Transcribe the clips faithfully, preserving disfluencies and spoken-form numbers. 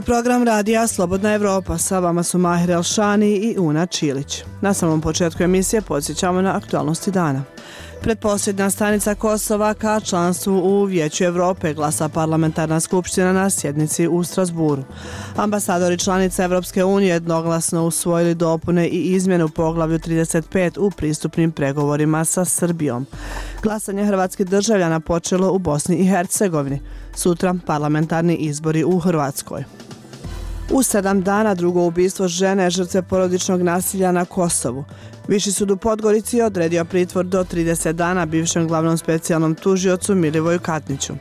program radija Slobodna Evropa. Sa vama su Mahir Elšani i Una Čilić. Na samom početku emisije podsjećamo na aktualnosti dana. Pretposljednja stanica Kosova ka članstvu u Vijeću Evrope glasa parlamentarna skupština na sjednici u Strasburu. Ambasadori članica Evropske unije jednoglasno usvojili dopune i izmjene u poglavlju trideset pet u pristupnim pregovorima sa Srbijom. Glasanje hrvatskih državljana počelo u Bosni i Hercegovini. Sutra parlamentarni izbori u Hrvatskoj. U sedam dana drugo ubistvo žene žrtve porodičnog nasilja na Kosovu. Viši sud u Podgorici odredio pritvor do trideset dana bivšem glavnom specijalnom tužiocu Milivoju Katniću.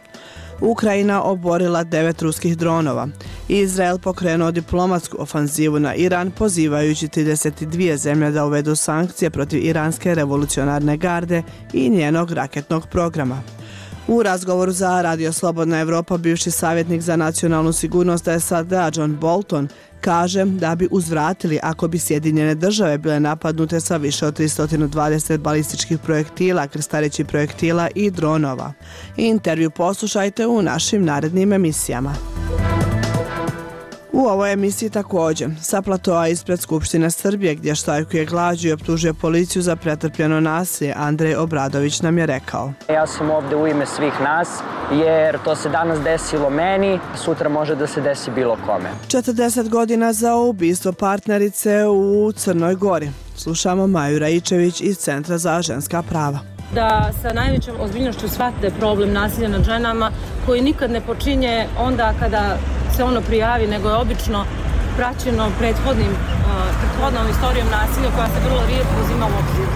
Ukrajina oborila devet ruskih dronova. Izrael pokrenuo diplomatsku ofanzivu na Iran, pozivajući trideset dvije zemlje da uvedu sankcije protiv iranske revolucionarne garde i njenog raketnog programa. U razgovoru za Radio Slobodna Evropa bivši savjetnik za nacionalnu sigurnost S A D-a John Bolton kaže da bi uzvratili ako bi Sjedinjene države bile napadnute sa više od tristo dvadeset balističkih projektila, krstarećih projektila i dronova. Intervju poslušajte u našim narednim emisijama. U ovoj emisiji također, sa platoa ispred Skupštine Srbije gdje štrajkuje glađu i optužuje policiju za pretrpljeno nasilje, Andrej Obradović nam je rekao. Ja sam ovdje u ime svih nas jer to se danas desilo meni, sutra može da se desi bilo kome. četrdeset godina za ubistvo partnerice u Crnoj Gori. Slušamo Maju Raičević iz Centra za ženska prava. Da sa najvećom ozbiljnošću shvate problem nasilja nad ženama koji nikad ne počinje onda kada se ono prijavi, nego je obično praćeno prethodnim, prethodnom istorijom nasilja koja se vrlo rijetko uzima u obzir.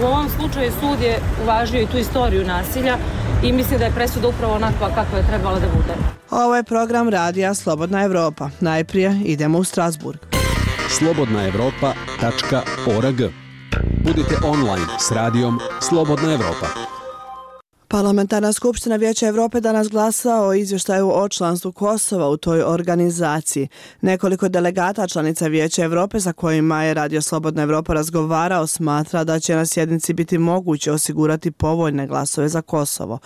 U ovom slučaju sud je uvažio i tu istoriju nasilja i mislim da je presuda upravo onakva kakva je trebala da bude. Ovo je program radija Slobodna Evropa. Najprije idemo u Strasburg. slobodna evropa tačka org. Budite online s radijom Slobodna Evropa. Parlamentarna skupština Vijeća Evrope danas glasa o izvještaju o članstvu Kosova u toj organizaciji. Nekoliko delegata članica Vijeća Evrope sa kojima je Radio Slobodna Evropa razgovarao smatra da će na sjednici biti moguće osigurati povoljne glasove za Kosovo.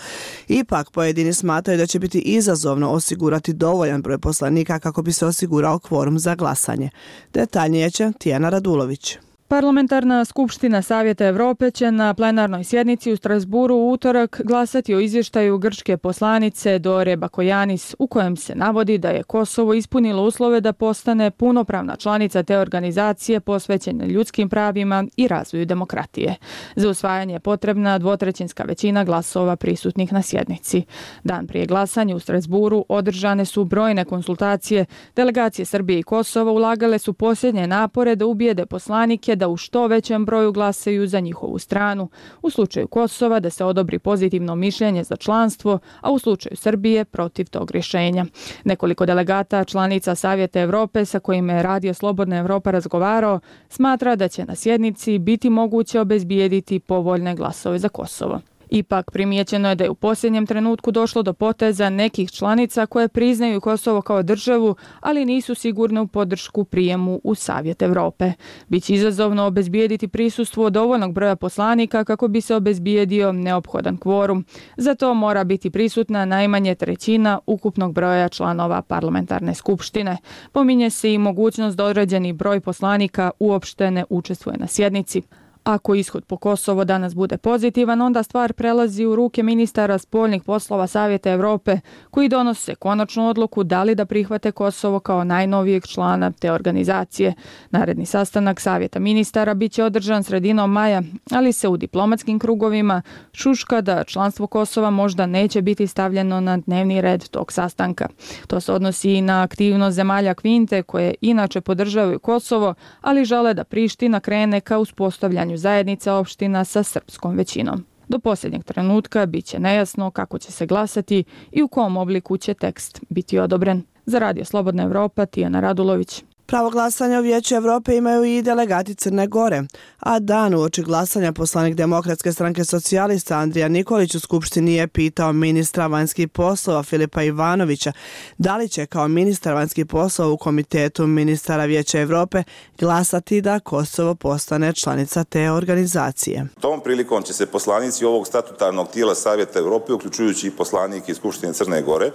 Ipak pojedini smatraju da će biti izazovno osigurati dovoljan broj poslanika kako bi se osigurao kvorum za glasanje. Detaljnije će Tijana Radulović. Parlamentarna skupština Savjeta Evrope će na plenarnoj sjednici u Strasburu u utorak glasati o izvještaju grčke poslanice Dore Bakojanis u kojem se navodi da je Kosovo ispunilo uslove da postane punopravna članica te organizacije posvećene ljudskim pravima i razvoju demokratije. Za usvajanje je potrebna dvotrećinska većina glasova prisutnih na sjednici. Dan prije glasanja u Strasburu održane su brojne konsultacije. Delegacije Srbije i Kosova ulagale su posljednje napore da ubijede poslanike da u što većem broju glasaju za njihovu stranu, u slučaju Kosova da se odobri pozitivno mišljenje za članstvo, a u slučaju Srbije protiv tog rješenja. Nekoliko delegata članica Savjeta Evrope sa kojima je Radio Slobodna Evropa razgovarao smatra da će na sjednici biti moguće obezbijediti povoljne glasove za Kosovo. Ipak primijećeno je da je u posljednjem trenutku došlo do poteza nekih članica koje priznaju Kosovo kao državu, ali nisu sigurne u podršku prijemu u Savjet Evrope. Biće izazovno obezbijediti prisustvo dovoljnog broja poslanika kako bi se obezbijedio neophodan kvorum. Za to mora biti prisutna najmanje trećina ukupnog broja članova parlamentarne skupštine. Pominje se i mogućnost da određeni broj poslanika uopšte ne učestvuje na sjednici. Ako ishod po Kosovo danas bude pozitivan, onda stvar prelazi u ruke ministara spoljnih poslova Savjeta Evrope, koji donose konačnu odluku da li da prihvate Kosovo kao najnovijeg člana te organizacije. Naredni sastanak Savjeta ministara biće održan sredinom maja, ali se u diplomatskim krugovima šuška da članstvo Kosova možda neće biti stavljeno na dnevni red tog sastanka. To se odnosi i na aktivnost zemalja Kvinte, koje inače podržavaju Kosovo, ali žele da Priština krene ka uspostavljanju zajednice opština sa srpskom većinom. Do posljednjeg trenutka bit će nejasno kako će se glasati i u kom obliku će tekst biti odobren. Za Radio Slobodna Evropa, Tijana Radulović. Pravo glasanja u Vijeću Evrope imaju i delegati Crne Gore, a dan uoči glasanja poslanik Demokratske stranke socijalista Andrija Nikolić u Skupštini je pitao ministra vanjskih poslova Filipa Ivanovića da li će kao ministar vanjskih poslova u Komitetu ministara Vijeća Evrope glasati da Kosovo postane članica te organizacije. Tom prilikom će se poslanici ovog statutarnog tijela Savjeta Evrope, uključujući i poslanike iz Skupštine Crne Gore,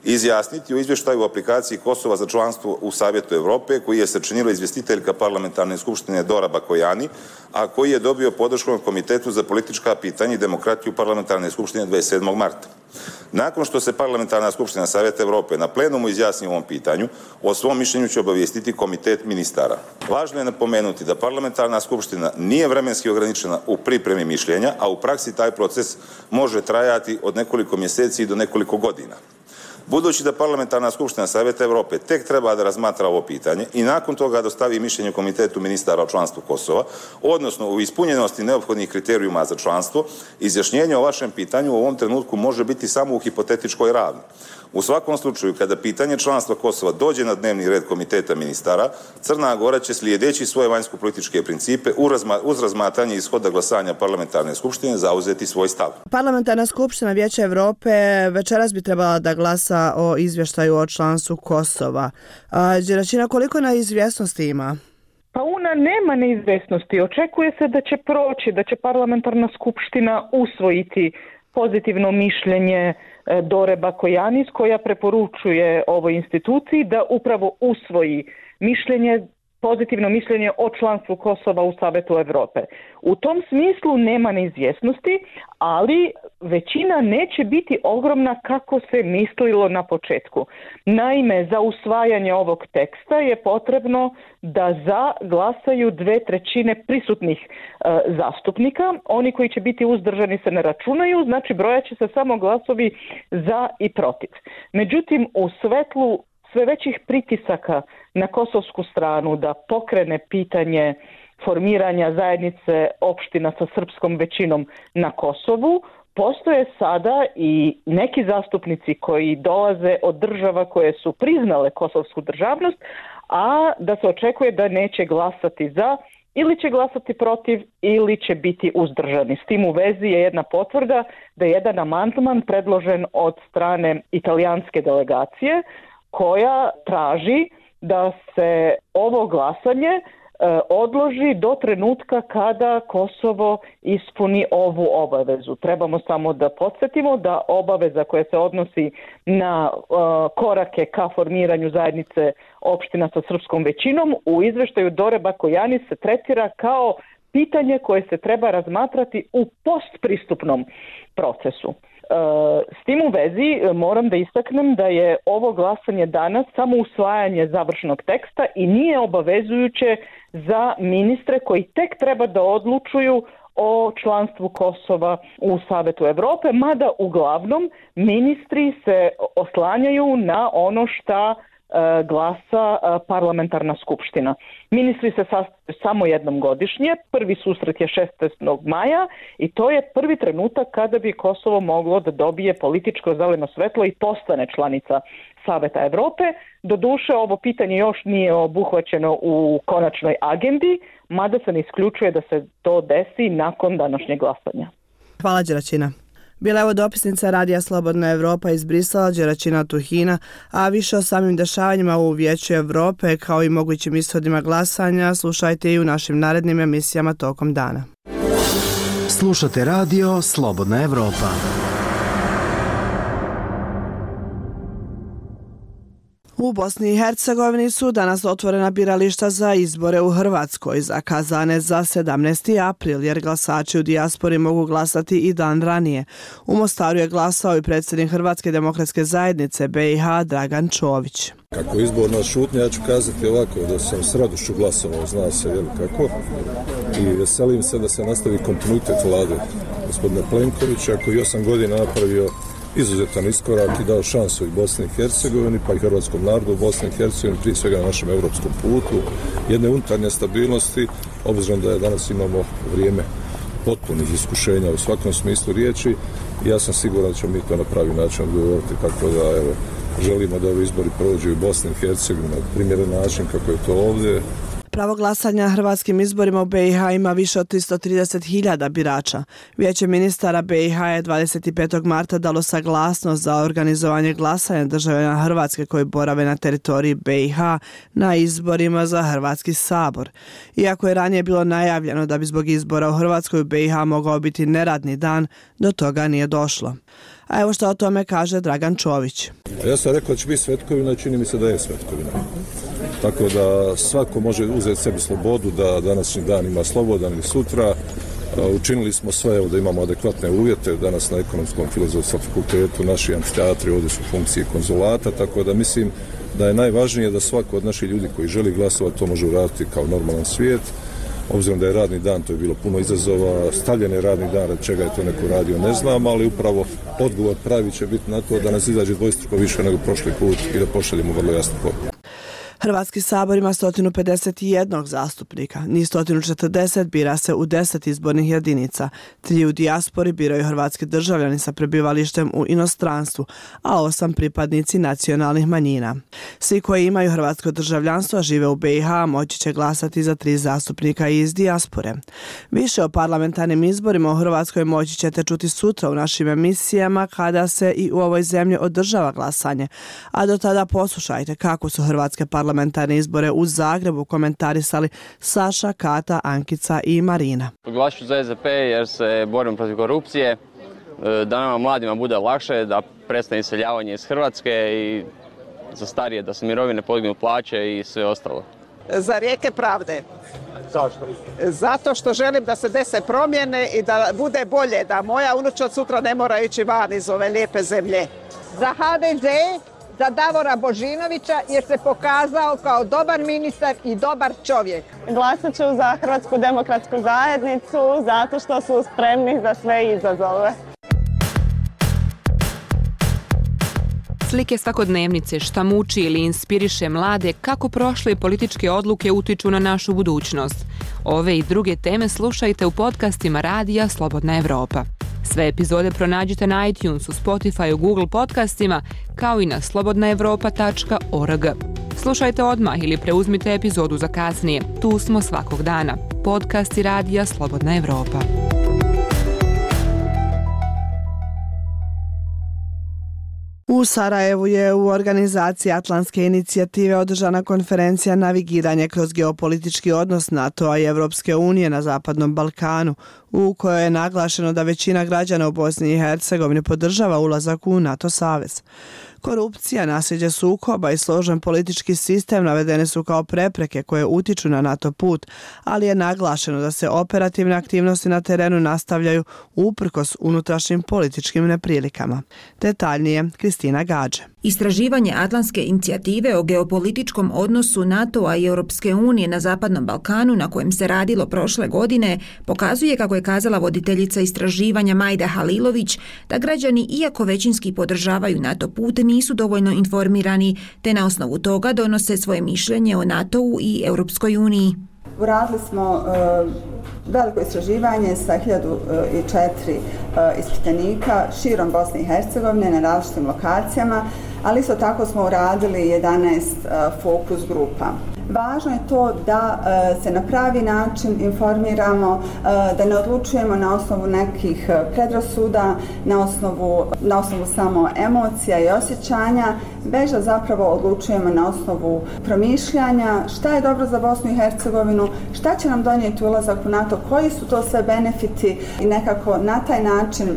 izjasniti o izvještaju o aplikaciji Kosova za članstvo u Savjetu Evrope, koji je sačinila izvjestiteljka parlamentarne skupštine Dora Bakojani, a koji je dobio podršku od Komitetu za politička pitanja i demokratiju parlamentarne skupštine dvadeset sedmog marta. Nakon što se parlamentarna skupština Savjeta Evrope na plenumu izjasni o ovom pitanju, o svom mišljenju će obavijestiti Komitet ministara. Važno je napomenuti da parlamentarna skupština nije vremenski ograničena u pripremi mišljenja, a u praksi taj proces može trajati od nekoliko mjeseci do nekoliko godina. Budući da parlamentarna skupština Savjeta Evrope tek treba da razmatra ovo pitanje i nakon toga dostavi mišljenje Komitetu ministara o članstvu Kosova, odnosno u ispunjenosti neophodnih kriterijuma za članstvo, izjašnjenje o vašem pitanju u ovom trenutku može biti samo u hipotetičkoj ravni. U svakom slučaju, kada pitanje članstva Kosova dođe na dnevni red Komiteta ministara, Crna Gora će slijedeći svoje vanjsko-političke principe uz razmatranje ishoda glasanja parlamentarne skupštine zauzeti svoj stav. Parlamentarna skupština Vijeća Evrope večeras bi trebala da glasa o izvještaju o članstvu Kosova. Đeračina, koliko neizvjesnosti ima? Pa ona nema neizvjesnosti. Očekuje se da će proći, da će parlamentarna skupština usvojiti pozitivno mišljenje Dore Bakojanis, koja preporučuje ovoj instituciji da upravo usvoji mišljenje, pozitivno mišljenje o članstvu Kosova u Savetu Evrope. U tom smislu nema neizvjesnosti, ali većina neće biti ogromna kako se mislilo na početku. Naime, za usvajanje ovog teksta je potrebno da za glasaju dve trećine prisutnih e, zastupnika. Oni koji će biti uzdržani se ne računaju, znači brojat će se samo glasovi za i protiv. Međutim, u svetlu sve većih pritisaka na kosovsku stranu da pokrene pitanje formiranja zajednice opština sa srpskom većinom na Kosovu, postoje sada i neki zastupnici koji dolaze od država koje su priznale kosovsku državnost, a da se očekuje da neće glasati za ili će glasati protiv ili će biti uzdržani. S tim u vezi je jedna potvrda da je jedan amandman predložen od strane italijanske delegacije koja traži da se ovo glasanje e, odloži do trenutka kada Kosovo ispuni ovu obavezu. Trebamo samo da podsjetimo da obaveza koja se odnosi na e, korake ka formiranju zajednice opština sa srpskom većinom u izveštaju Dore Bakojanis se tretira kao pitanje koje se treba razmatrati u postpristupnom procesu. S tim u vezi moram da istaknem da je ovo glasanje danas samo usvajanje završnog teksta i nije obavezujuće za ministre koji tek treba da odlučuju o članstvu Kosova u Savetu Evrope, mada uglavnom ministri se oslanjaju na ono šta glasa parlamentarna skupština. Ministri se sastaju samo jednom godišnje, prvi susret je šesnaestog maja i to je prvi trenutak kada bi Kosovo moglo da dobije političko zeleno svetlo i postane članica Saveta Evrope. Doduše, ovo pitanje još nije obuhvaćeno u konačnoj agendi, mada se ne isključuje da se to desi nakon današnjeg glasanja. Hvala, Đeračina. Bila je ovo dopisnica Radija Slobodna Evropa iz Brisela, Đeračina Tuhina, a više o samim dešavanjima u Vijeću Evrope kao i mogućim ishodima glasanja slušajte i u našim narednim emisijama tokom dana. Slušate Radio Slobodna Evropa. U Bosni i Hercegovini su danas otvorena birališta za izbore u Hrvatskoj, zakazane za sedamnaesti april, jer glasači u dijaspori mogu glasati i dan ranije. U Mostaru je glasao i predsjednik Hrvatske demokratske zajednice B i H Dragan Čović. Kako izborna šutnja, ja ću kazati ovako, da sam s radošću glasovao, zna se jel kako, i veselim se da se nastavi kontinuitet vlade gospodina Plenkovića, koji osam godina napravio izuzetan iskorak i dao šansu i Bosni i Hercegovini, pa i hrvatskom narodu u Bosni i Hercegovini, prije svega na našem evropskom putu, jedne unutarnje stabilnosti, obzirom da je danas imamo vrijeme potpunih iskušenja u svakom smislu riječi. Ja sam siguran da ćemo mi to na pravi način odgovoriti, tako da evo, želimo da ovi izbori prođu u Bosni i Hercegovini na primjeren način kako je to ovdje. Pravo glasanja na hrvatskim izborima u be i ha ima više od tristo trideset hiljada birača. Vijeće ministara be i ha je dvadeset petog marta dalo saglasnost za organizovanje glasanja državljana Hrvatske koji borave na teritoriji be i ha na izborima za Hrvatski sabor. Iako je ranije bilo najavljeno da bi zbog izbora u Hrvatskoj u be i ha mogao biti neradni dan, do toga nije došlo. A evo što o tome kaže Dragan Čović. Ja sam rekao da će biti svetkovina i čini mi se da je svetkovina. Tako da svako može uzeti sebi slobodu da današnji dan ima slobodan ili sutra. Učinili smo sve evo, da imamo adekvatne uvjete. Danas na Ekonomskom filozofskom fakultetu naši amfiteatri ovdje su funkcije konzulata, tako da mislim da je najvažnije da svako od naših ljudi koji želi glasovati to može uraditi kao normalan svijet. Obzirom da je radni dan, to je bilo puno izazova, stavljen je radni dan, od čega je to neko radio, ne znam, ali upravo odgovor pravi će biti na to da nas izađe dvostruko više nego prošli put i da pošaljemo vrlo jasnu poruku. Hrvatski sabor ima sto pedeset jedan zastupnika, njih sto četrdeset bira se u deset izbornih jedinica, tri u dijaspori biraju hrvatski državljani sa prebivalištem u inostranstvu, a osam pripadnici nacionalnih manjina. Svi koji imaju hrvatsko državljanstvo, a žive u be i ha, moći će glasati za tri zastupnika iz dijaspore. Više o parlamentarnim izborima u Hrvatskoj moći ćete čuti sutra u našim emisijama kada se i u ovoj zemlji održava glasanje, a do tada poslušajte kako su hrvatske parlamentarne parlamentarne izbore u Zagrebu komentarisali Saša, Kata, Ankica i Marina. Glasit ću za es de pe jer se borim protiv korupcije, da nama mladima bude lakše, da prestane iseljavanje iz Hrvatske i za starije da se mirovine podignu, plaće i sve ostalo. Za rijeke pravde. Zašto? Zato što želim da se dese promjene i da bude bolje, da moja unučad sutra ne mora ići van iz ove lijepe zemlje. Za ha de ze, za Davora Božinovića jer se pokazao kao dobar ministar i dobar čovjek. Glasat ću za Hrvatsku demokratsku zajednicu zato što su spremni za sve izazove. Slike svakodnevnice šta muči ili inspiriše mlade kako prošle političke odluke utiču na našu budućnost. Ove i druge teme slušajte u podcastima radija Slobodna Evropa. Sve epizode pronađite na iTunesu, Spotifyu, Google podcastima, kao i na slobodna evropa tačka org. Slušajte odmah ili preuzmite epizodu za kasnije. Tu smo svakog dana. Podcasti radija Slobodna Evropa. U Sarajevu je u organizaciji Atlantske inicijative održana konferencija Navigiranje kroz geopolitički odnos NATO-a i Evropske unije na Zapadnom Balkanu, u kojoj je naglašeno da većina građana u Bosni i Hercegovini podržava ulazak u NATO savez. Korupcija, nasljeđe sukoba i složen politički sistem navedene su kao prepreke koje utiču na NATO put, ali je naglašeno da se operativne aktivnosti na terenu nastavljaju uprkos unutrašnjim političkim neprilikama. Detaljnije, Kristina Gađe. Istraživanje Atlantske inicijative o geopolitičkom odnosu NATO-a i Europske unije na Zapadnom Balkanu, na kojem se radilo prošle godine, pokazuje, kako je kazala voditeljica istraživanja Majda Halilović, da građani, iako većinski podržavaju NATO put, nisu dovoljno informirani, te na osnovu toga donose svoje mišljenje o NATO-u i Europskoj uniji. Uradili smo uh, veliko istraživanje sa hiljadu četiri uh, ispitanika širom Bosne i Hercegovine na različitim lokacijama, ali isto tako smo uradili jedanaest uh, fokus grupa. Važno je to da uh, se na pravi način informiramo, uh, da ne odlučujemo na osnovu nekih predrasuda, na osnovu, na osnovu samo emocija i osjećanja, već da zapravo odlučujemo na osnovu promišljanja šta je dobro za Bosnu i Hercegovinu, šta će nam donijeti ulazak u NATO, koji su to sve benefiti i nekako na taj način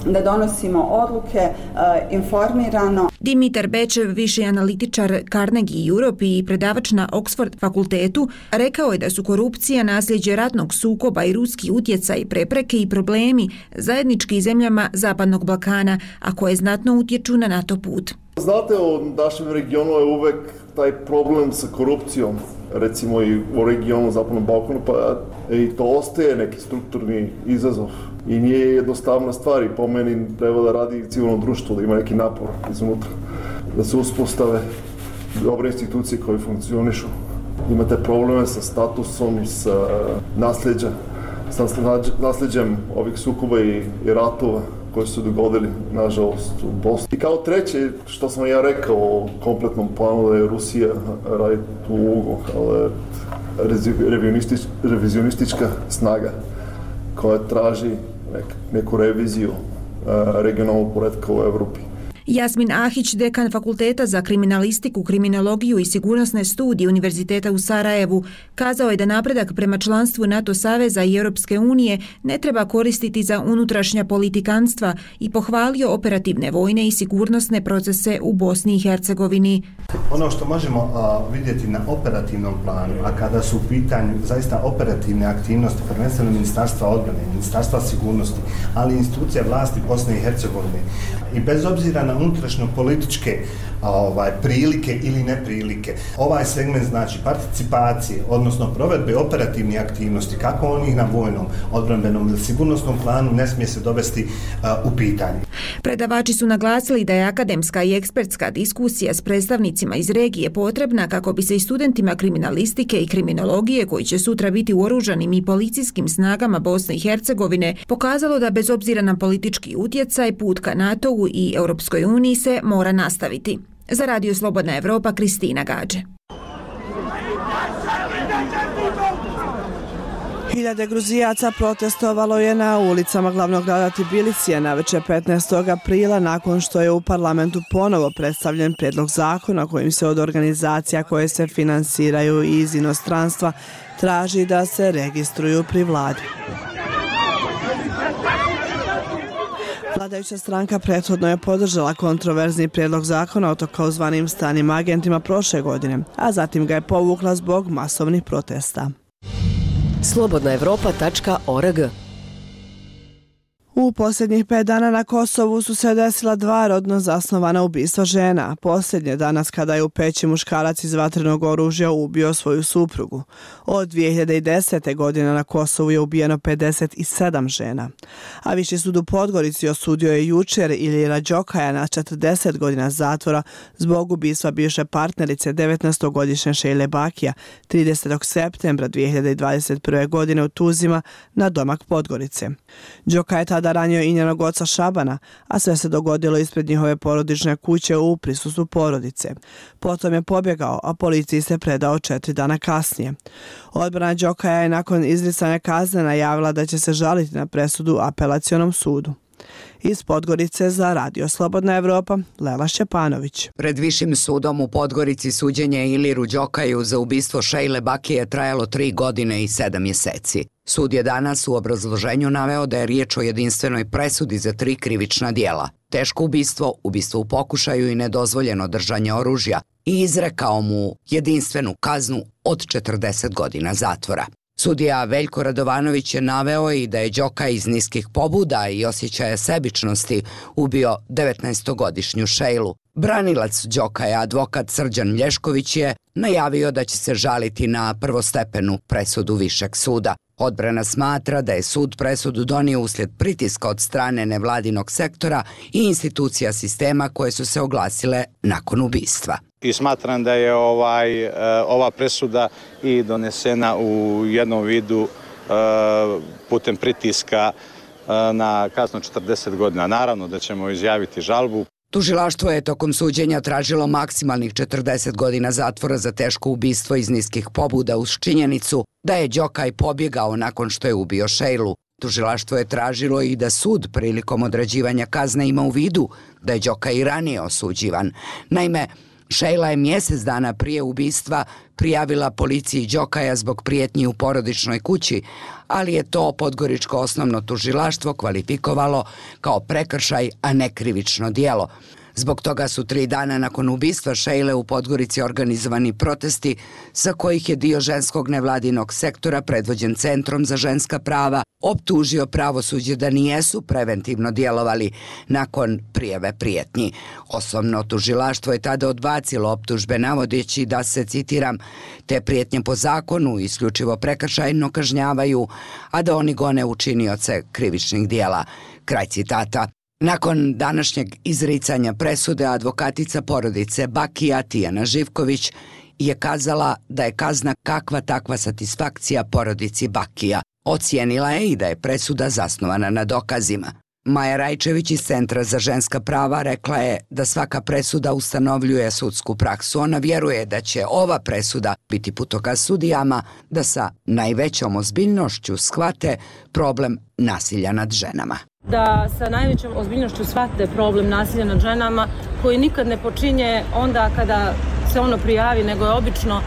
da donosimo odluke uh, informirano. Dimitar Bečev, viši analitičar Carnegie Europe i predavač na Oxford fakultetu, rekao je da su korupcija, nasljeđe ratnog sukoba i ruski utjecaj, prepreke i problemi zajednički zemljama Zapadnog Balkana, a koje znatno utječu na NATO put. Znate, u našem regionu je uvek taj problem sa korupcijom, recimo i u regionu Zapadnog Balkana, pa i to ostaje neki strukturni izazov. I nije jednostavna stvar i po meni treba da radi civilno društvo, da ima neki napor iznutra, da se uspostave dobre institucije koje funkcionišu. Imate probleme sa statusom, sa nasljeđem, sa nasljeđem ovih sukoba i, i ratova. koji su dogodili, nažalost, u Bosni. I kao treće, što sam ja rekao o kompletnom planu, da je Rusija radi tu ulogu, ali revionistič, revizionistička snaga koja traži nek, neku reviziju uh, regionalnog poretka u Evropi. Jasmin Ahić, dekan Fakulteta za kriminalistiku, kriminologiju i sigurnosne studije Univerziteta u Sarajevu, kazao je da napredak prema članstvu NATO saveza i Europske unije ne treba koristiti za unutrašnja politikanstva i pohvalio operativne vojne i sigurnosne procese u Bosni i Hercegovini. Ono što možemo a, vidjeti na operativnom planu, a kada su u pitanju zaista operativne aktivnosti, prvenstveno Ministarstva odbrane, Ministarstva sigurnosti, ali i institucija vlasti Bosne i Hercegovine, i bez obzira na unutrašnjo političke ovaj, prilike ili neprilike, ovaj segment znači participacije, odnosno provedbe operativnih aktivnosti, kako onih na vojnom, odbrambenom ili sigurnosnom planu, ne smije se dovesti a, u pitanje. Predavači su naglasili da je akademska i ekspertska diskusija s predstavnicima iz regije potrebna kako bi se i studentima kriminalistike i kriminologije, koji će sutra biti u oružanim i policijskim snagama Bosne i Hercegovine, pokazalo da bez obzira na politički utjecaj, put ka NATO-u i Europskoj uniji se mora nastaviti. Za Radio Slobodna Evropa, Kristina Gađe. Hiljade Gruzijaca protestovalo je na ulicama glavnog grada Tbilisija navečer petnaestog aprila nakon što je u parlamentu ponovo predstavljen prijedlog zakona kojim se od organizacija koje se finansiraju iz inostranstva traži da se registruju pri vladi. Vladajuća stranka prethodno je podržala kontroverzni prijedlog zakona o takozvanim stranim agentima prošle godine, a zatim ga je povukla zbog masovnih protesta. slobodna evropa tačka org. U posljednjih pet dana na Kosovu su se desila dva rodno zasnovana ubistva žena. Posljednje danas kada je u Peći muškarac iz vatrenog oružja ubio svoju suprugu. Od dvije hiljade desete. godine na Kosovu je ubijeno pedeset sedam žena. A Viši sud u Podgorici osudio je jučer Ilira Đokaja na četrdeset godina zatvora zbog ubistva bivše partnerice devetnaestogodišnje Šejle Bakija tridesetog septembra dvije hiljade dvadeset prve. godine u Tuzima na domak Podgorice. Đoka je tada ranio i njenog oca Šabana, a sve se dogodilo ispred njihove porodične kuće u prisustvu porodice. Potom je pobjegao, a policiji se predao četiri dana kasnije. Odbrana Đokaja je nakon izricanja kazne najavila da će se žaliti na presudu apelacionom sudu. Iz Podgorice za Radio Slobodna Evropa, Lela Šćepanović. Pred Višim sudom u Podgorici suđenje Iliru Đokaju za ubistvo Šejle Bakije trajalo tri godine i sedam mjeseci. Sud je danas u obrazloženju naveo da je riječ o jedinstvenoj presudi za tri krivična dijela: teško ubistvo, ubistvo u pokušaju i nedozvoljeno držanje oružja, i izrekao mu jedinstvenu kaznu od četrdeset godina zatvora. Sudija Veljko Radovanović je naveo i da je Đoka iz niskih pobuda i osjećaja sebičnosti ubio devetnaestogodišnju Šejlu. Branilac Đokaja, advokat Srđan Mlješković, je najavio da će se žaliti na prvostepenu presudu Višeg suda. Odbrana smatra da je sud presudu donio uslijed pritiska od strane nevladinog sektora i institucija sistema koje su se oglasile nakon ubistva. I smatram da je ovaj, ova presuda i donesena u jednom vidu putem pritiska na kaznu četrdeset godina. Naravno da ćemo izjaviti žalbu. Tužilaštvo je tokom suđenja tražilo maksimalnih četrdeset godina zatvora za teško ubistvo iz niskih pobuda uz činjenicu da je Đokaj pobjegao nakon što je ubio Šejlu. Tužilaštvo je tražilo i da sud prilikom određivanja kazne ima u vidu da je Đokaj i ranije osuđivan. Naime, Šejla je mjesec dana prije ubistva prijavila policiji Đokaja zbog prijetnji u porodičnoj kući, ali je to Podgoričko osnovno tužilaštvo kvalifikovalo kao prekršaj, a ne krivično djelo. Zbog toga su tri dana nakon ubistva Šejle u Podgorici organizovani protesti sa kojih je dio ženskog nevladinog sektora predvođen Centrom za ženska prava optužio pravosuđe da nijesu preventivno djelovali nakon prijave prijetnji. Osnovno tužilaštvo je tada odbacilo optužbe navodeći da se, citiram, te prijetnje po zakonu isključivo prekršajno kažnjavaju, a da oni gone učinioce krivičnih djela. Kraj citata. Nakon današnjeg izricanja presude, advokatica porodice Bakija Tijana Živković je kazala da je kazna kakva takva satisfakcija porodici Bakija. Ocijenila je i da je presuda zasnovana na dokazima. Maja Rajčević iz Centra za ženska prava rekla je da svaka presuda ustanovljuje sudsku praksu. Ona vjeruje da će ova presuda biti putokaz sudijama da sa najvećom ozbiljnošću shvate problem nasilja nad ženama. Da sa najvećom ozbiljnošću shvate problem nasilja nad ženama koji nikad ne počinje onda kada se ono prijavi, nego je obično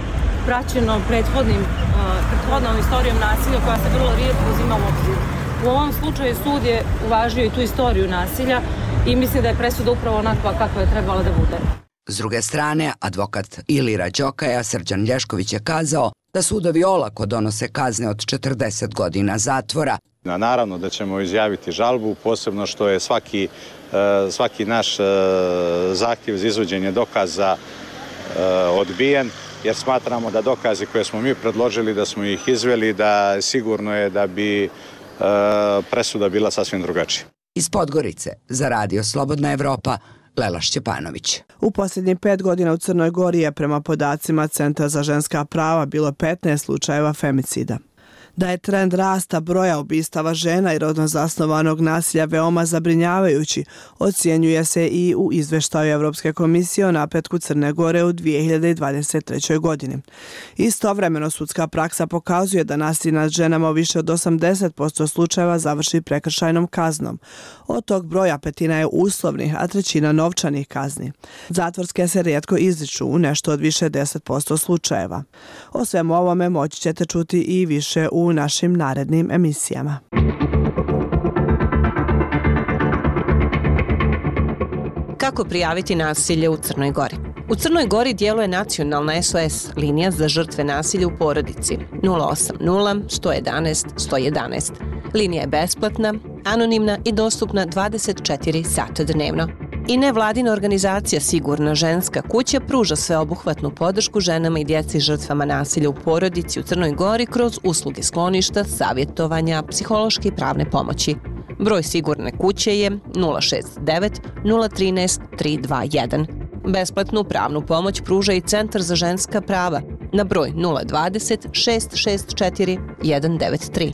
praćeno prethodnim, prethodnom istorijom nasilja koja se vrlo rijetko uzima u obzir. U ovom slučaju sud je uvažio i tu istoriju nasilja i mislim da je presuda upravo onakva kakva je trebala da bude. S druge strane, advokat Ilira Đokaja Srđan Lješković je kazao da sudovi olako donose kazne od četrdeset godina zatvora. Naravno da ćemo izjaviti žalbu, posebno što je svaki, svaki naš zahtjev za izvođenje dokaza odbijen, jer smatramo da dokazi koje smo mi predložili, da smo ih izveli, da sigurno je da bi presuda bila sasvim drugačija. Iz Podgorice za Radio Slobodna Evropa, Lela Šćepanović. U posljednjih pet godina u Crnoj Gori je prema podacima Centra za ženska prava bilo petnaest slučajeva femicida. Da je trend rasta broja ubistava žena i rodno zasnovanog nasilja veoma zabrinjavajući, ocjenjuje se i u izveštaju Evropske komisije o napretku Crne Gore u dvije hiljade dvadeset trećoj. godini. Istovremeno sudska praksa pokazuje da nasilje nad ženama u više od osamdeset posto slučajeva završi prekršajnom kaznom. Od tog broja petina je uslovnih, a trećina novčanih kazni. Zatvorske se rijetko izriču u nešto od više deset posto slučajeva. O svemu ovome moći ćete čuti i više u u našim narednim emisijama. Kako prijaviti nasilje u Crnoj Gori? U Crnoj Gori djeluje nacionalna S O S linija za žrtve nasilja u porodici nula osam nula, sto jedanaest, sto jedanaest. Linija je besplatna, anonimna i dostupna dvadeset četiri sata dnevno. I nevladina organizacija Sigurna ženska kuća pruža sveobuhvatnu podršku ženama i djeci žrtvama nasilja u porodici u Crnoj Gori kroz usluge skloništa, savjetovanja, psihološke i pravne pomoći. Broj Sigurne kuće je nula šest devet, nula jedan tri, tri dva jedan. Besplatnu pravnu pomoć pruža i Centar za ženska prava na broj nula dvadeset, šest šest četiri, jedan devet tri.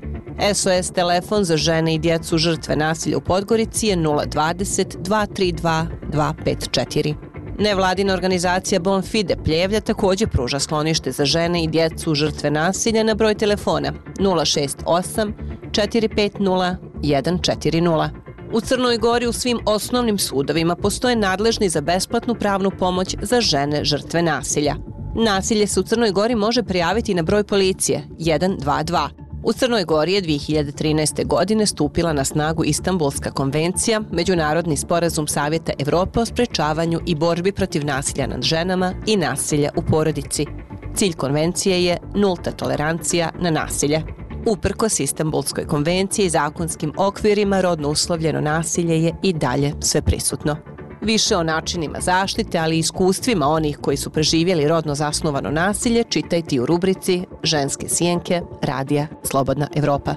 S O S telefon za žene i djecu žrtve nasilja u Podgorici je nula dvadeset, dva tri dva, dva pet četiri. Nevladina organizacija Bonfide Pljevlja također pruža sklonište za žene i djecu žrtve nasilja na broj telefona nula šest osam, četiri pet nula, jedan četiri nula. U Crnoj Gori u svim osnovnim sudovima postoje nadležni za besplatnu pravnu pomoć za žene žrtve nasilja. Nasilje se u Crnoj Gori može prijaviti na broj policije jedan dva dva. U Crnoj Gori je dvije hiljade trinaeste. godine stupila na snagu Istanbulska konvencija, međunarodni sporazum Savjeta Evrope o sprečavanju i borbi protiv nasilja nad ženama i nasilja u porodici. Cilj konvencije je nulta tolerancija na nasilje. Uprkos Istanbulskoj konvenciji i zakonskim okvirima, rodno uslovljeno nasilje je i dalje sve prisutno. Više o načinima zaštite, ali i iskustvima onih koji su preživjeli rodno zasnovano nasilje čitajte u rubrici Ženske sjenke Radija Slobodna Evropa.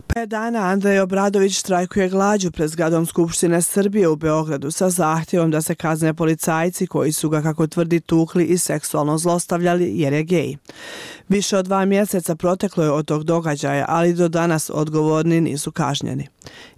Pet dana Andrej Obradović štrajkuje glađu pred zgradom Skupštine Srbije u Beogradu sa zahtjevom da se kazne policajci koji su ga, kako tvrdi, tukli i seksualno zlostavljali jer je gej. Više od dva mjeseca proteklo je od tog događaja, ali do danas odgovorni nisu kažnjeni.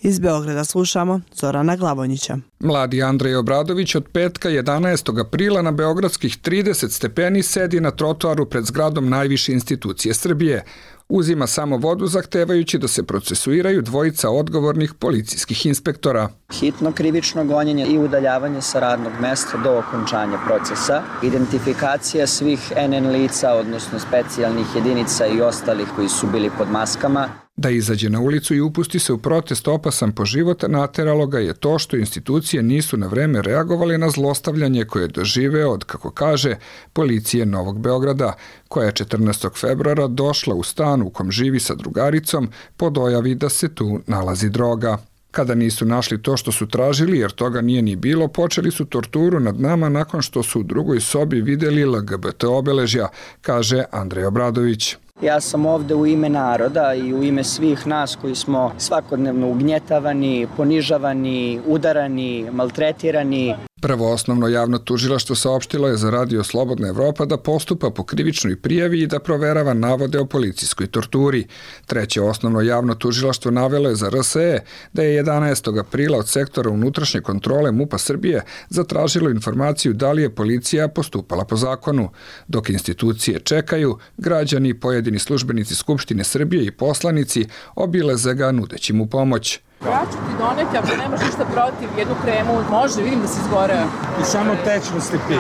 Iz Beograda slušamo Zorana Glavonjića. Mladi Andrej Obradović od petka jedanaestog aprila na beogradskih trideset stepeni sedi na trotoaru pred zgradom najviše institucije Srbije. Uzima samo vodu zahtevajući da se procesuiraju dvojica odgovornih policijskih inspektora. Hitno krivično gonjenje i udaljavanje sa radnog mesta do okončanja procesa, identifikacija svih N N lica, odnosno specijalnih jedinica i ostalih koji su bili pod maskama. Da izađe na ulicu i upusti se u protest opasan po život, nateralo ga je to što institucije nisu na vreme reagovali na zlostavljanje koje je doživeo od, kako kaže, policije Novog Beograda, koja je četrnaestog februara došla u stan u kom živi sa drugaricom po dojavi da se tu nalazi droga. Kada nisu našli to što su tražili, jer toga nije ni bilo, počeli su torturu nad nama nakon što su u drugoj sobi vidjeli L G B T obeležja, kaže Andrej Obradović. Ja sam ovde u ime naroda i u ime svih nas koji smo svakodnevno ugnjetavani, ponižavani, udarani, maltretirani. Prvo osnovno javno tužilaštvo saopštilo je za Radio Slobodna Evropa da postupa po krivičnoj prijavi i da proverava navode o policijskoj torturi. Treće osnovno javno tužilaštvo navelo je za R S E da je jedanaestog aprila od sektora unutrašnje kontrole MUP-a Srbije zatražilo informaciju da li je policija postupala po zakonu. Dok institucije čekaju, građani, pojedini službenici Skupštine Srbije i poslanici obileze ga nudeći mu pomoć. Ja ću ti doneti, ako nemaš ništa protiv, jednu kremu, može, vidim da si izgoreo. I samo tečnosti pi.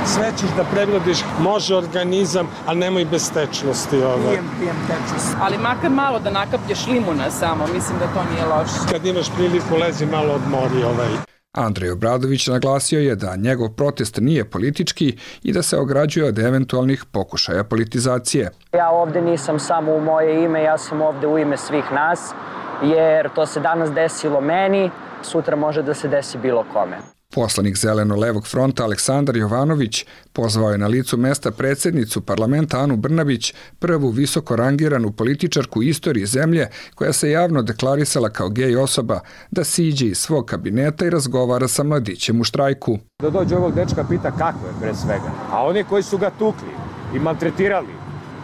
Sve ćeš da preglediš, može organizam, ali nemoj bez tečnosti. Ovaj. Pijem, pijem tečnost. Ali makar malo da nakaplješ limuna samo, mislim da to nije loše. Kad imaš priliku, lezi malo odmori ovaj. Andrej Obradović naglasio je da njegov protest nije politički i da se ograđuje od eventualnih pokušaja politizacije. Ja ovde nisam samo u moje ime, ja sam ovde u ime svih nas, jer to se danas desilo meni, sutra može da se desi bilo kome. Poslanik Zeleno-levog fronta Aleksandar Jovanović pozvao je na licu mesta predsjednicu parlamenta Anu Brnabić, prvu visoko rangiranu političarku istorije zemlje koja se javno deklarisala kao gej osoba, da siđe iz svog kabineta i razgovara sa mladićem u štrajku. Da dođe ovog dečka pita kako je pre svega, a oni koji su ga tukli i maltretirali,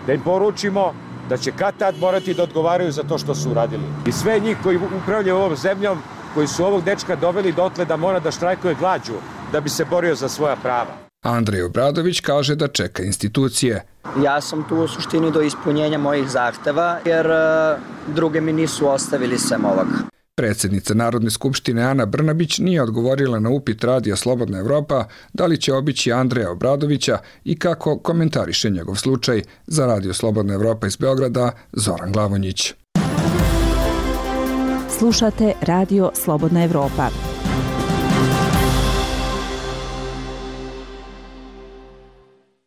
da im poručimo da će kad tad morati da odgovaraju za to što su uradili. I sve njih koji upravljaju ovom zemljom, koji su ovog dečka doveli dotle da mora da štrajkuje glađu da bi se borio za svoja prava. Andrej Obradović kaže da čeka institucije. Ja sam tu u suštini do ispunjenja mojih zahteva, jer uh, druge mi nisu ostavili sem ovog. Predsjednica Narodne skupštine Ana Brnabić nije odgovorila na upit Radija Slobodna Evropa da li će obići Andreja Obradovića i kako komentariše njegov slučaj. Za Radio Slobodna Evropa iz Beograda, Zoran Glavonjić. Slušate Radio Slobodna Evropa.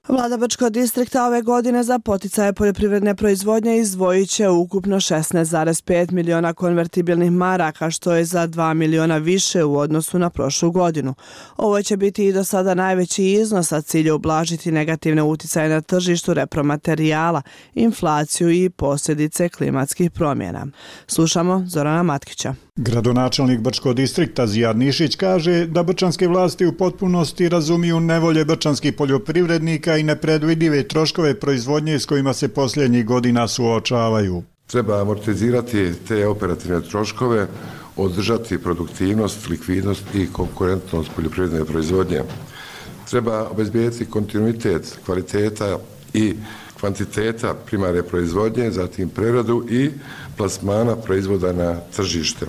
Vlada Brčkog distrikta ove godine za poticaje poljoprivredne proizvodnje izdvojit će ukupno šesnaest zarez pet miliona konvertibilnih maraka, što je za dva miliona više u odnosu na prošlu godinu. Ovo će biti i do sada najveći iznos, a cilj je ublažiti negativne uticaje na tržištu repromaterijala, inflaciju i posljedice klimatskih promjena. Slušamo Zorana Matkića. Gradonačelnik Brčkog distrikta Zijad Nišić kaže da brčanske vlasti u potpunosti razumiju nevolje brčanskih poljoprivrednika i nepredvidive troškove proizvodnje s kojima se posljednjih godina suočavaju. Treba amortizirati te operativne troškove, održati produktivnost, likvidnost i konkurentnost poljoprivredne proizvodnje. Treba obezbijeti kontinuitet kvaliteta i kvantiteta primarne proizvodnje, zatim preradu i plasmana proizvoda na tržište.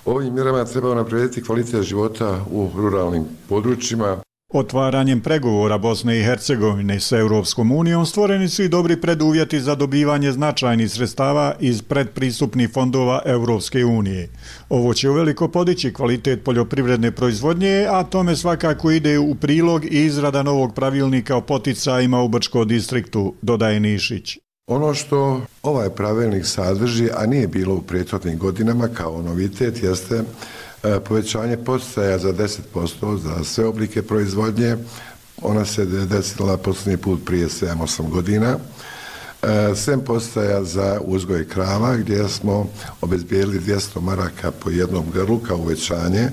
Ovim mjerama treba unaprijediti kvalitet života u ruralnim područjima. Otvaranjem pregovora Bosne i Hercegovine s Europskom unijom stvoreni su i dobri preduvjeti za dobivanje značajnih sredstava iz predpristupnih fondova Europske unije. Ovo će uveliko podići kvalitet poljoprivredne proizvodnje, a tome svakako ide u prilog i izrada novog pravilnika o poticajima u Brčkom distriktu, dodaje Nišić. Ono što ovaj pravilnik sadrži, a nije bilo u prethodnim godinama kao novitet, jeste povećanje poticaja za deset posto za sve oblike proizvodnje. Ona se desila posljednji put prije sedam osam godina. Sem poticaja za uzgoj krava, gdje smo obezbijedili dvjesto maraka po jednom grlu kao uvećanje.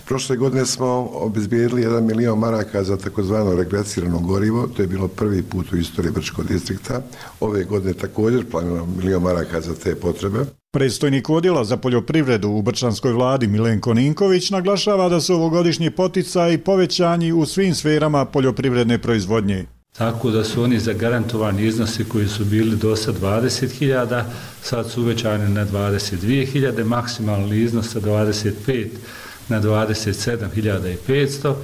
Prošle godine smo obezbijedili jedan milion maraka za takozvano regresirano gorivo, to je bilo prvi put u istoriji Brčkog distrikta. Ove godine također planiramo milion maraka za te potrebe. Predstojnik odjela za poljoprivredu u brčanskoj vladi Milenko Ninković naglašava da su ovogodišnji poticaji povećani u svim sferama poljoprivredne proizvodnje. Tako da su oni zagarantovani iznosi koji su bili do sad dvadeset hiljada, sad su uvećani na dvadeset dvije hiljade, maksimalni iznos sa dvadeset pet na dvadeset sedam hiljada petsto.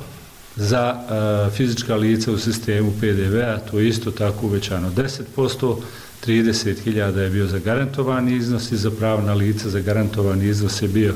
Za uh, fizička lica u sistemu P D V-a to je isto tako uvećano deset posto, trideset hiljada je bio zagarantovani iznos i za pravna lica zagarantovani iznos je bio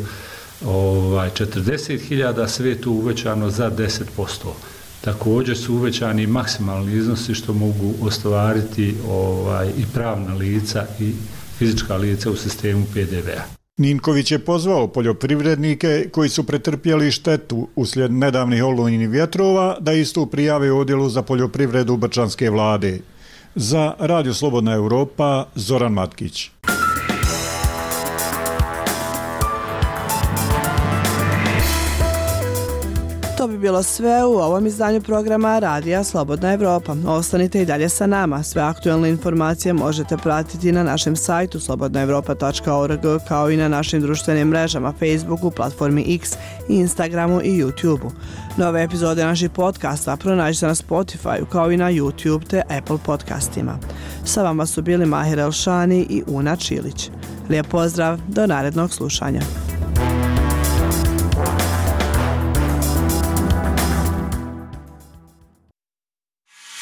ovaj, četrdeset hiljada, sve je tu uvećano za deset posto. Također su uvećani maksimalni iznosi što mogu ostvariti ovaj, i pravna lica i fizička lica u sistemu P D V-a. Ninković je pozvao poljoprivrednike koji su pretrpjeli štetu uslijed nedavnih olujnih vjetrova da istu prijave u odjelu za poljoprivredu brčanske vlade. Za Radio Slobodna Evropa, Zoran Matkić. To bi bi bilo sve u ovom izdanju programa Radija Slobodna Evropa. Ostanite i dalje sa nama. Sve aktualne informacije možete pratiti na našem sajtu slobodna evropa tačka org kao i na našim društvenim mrežama Facebooku, platformi X, Instagramu i YouTubeu. Nove epizode naših podcasta pronađite na Spotify kao i na YouTube te Apple podcastima. Sa vama su bili Mahir Elšani i Una Čilić. Lijep pozdrav, do narednog slušanja.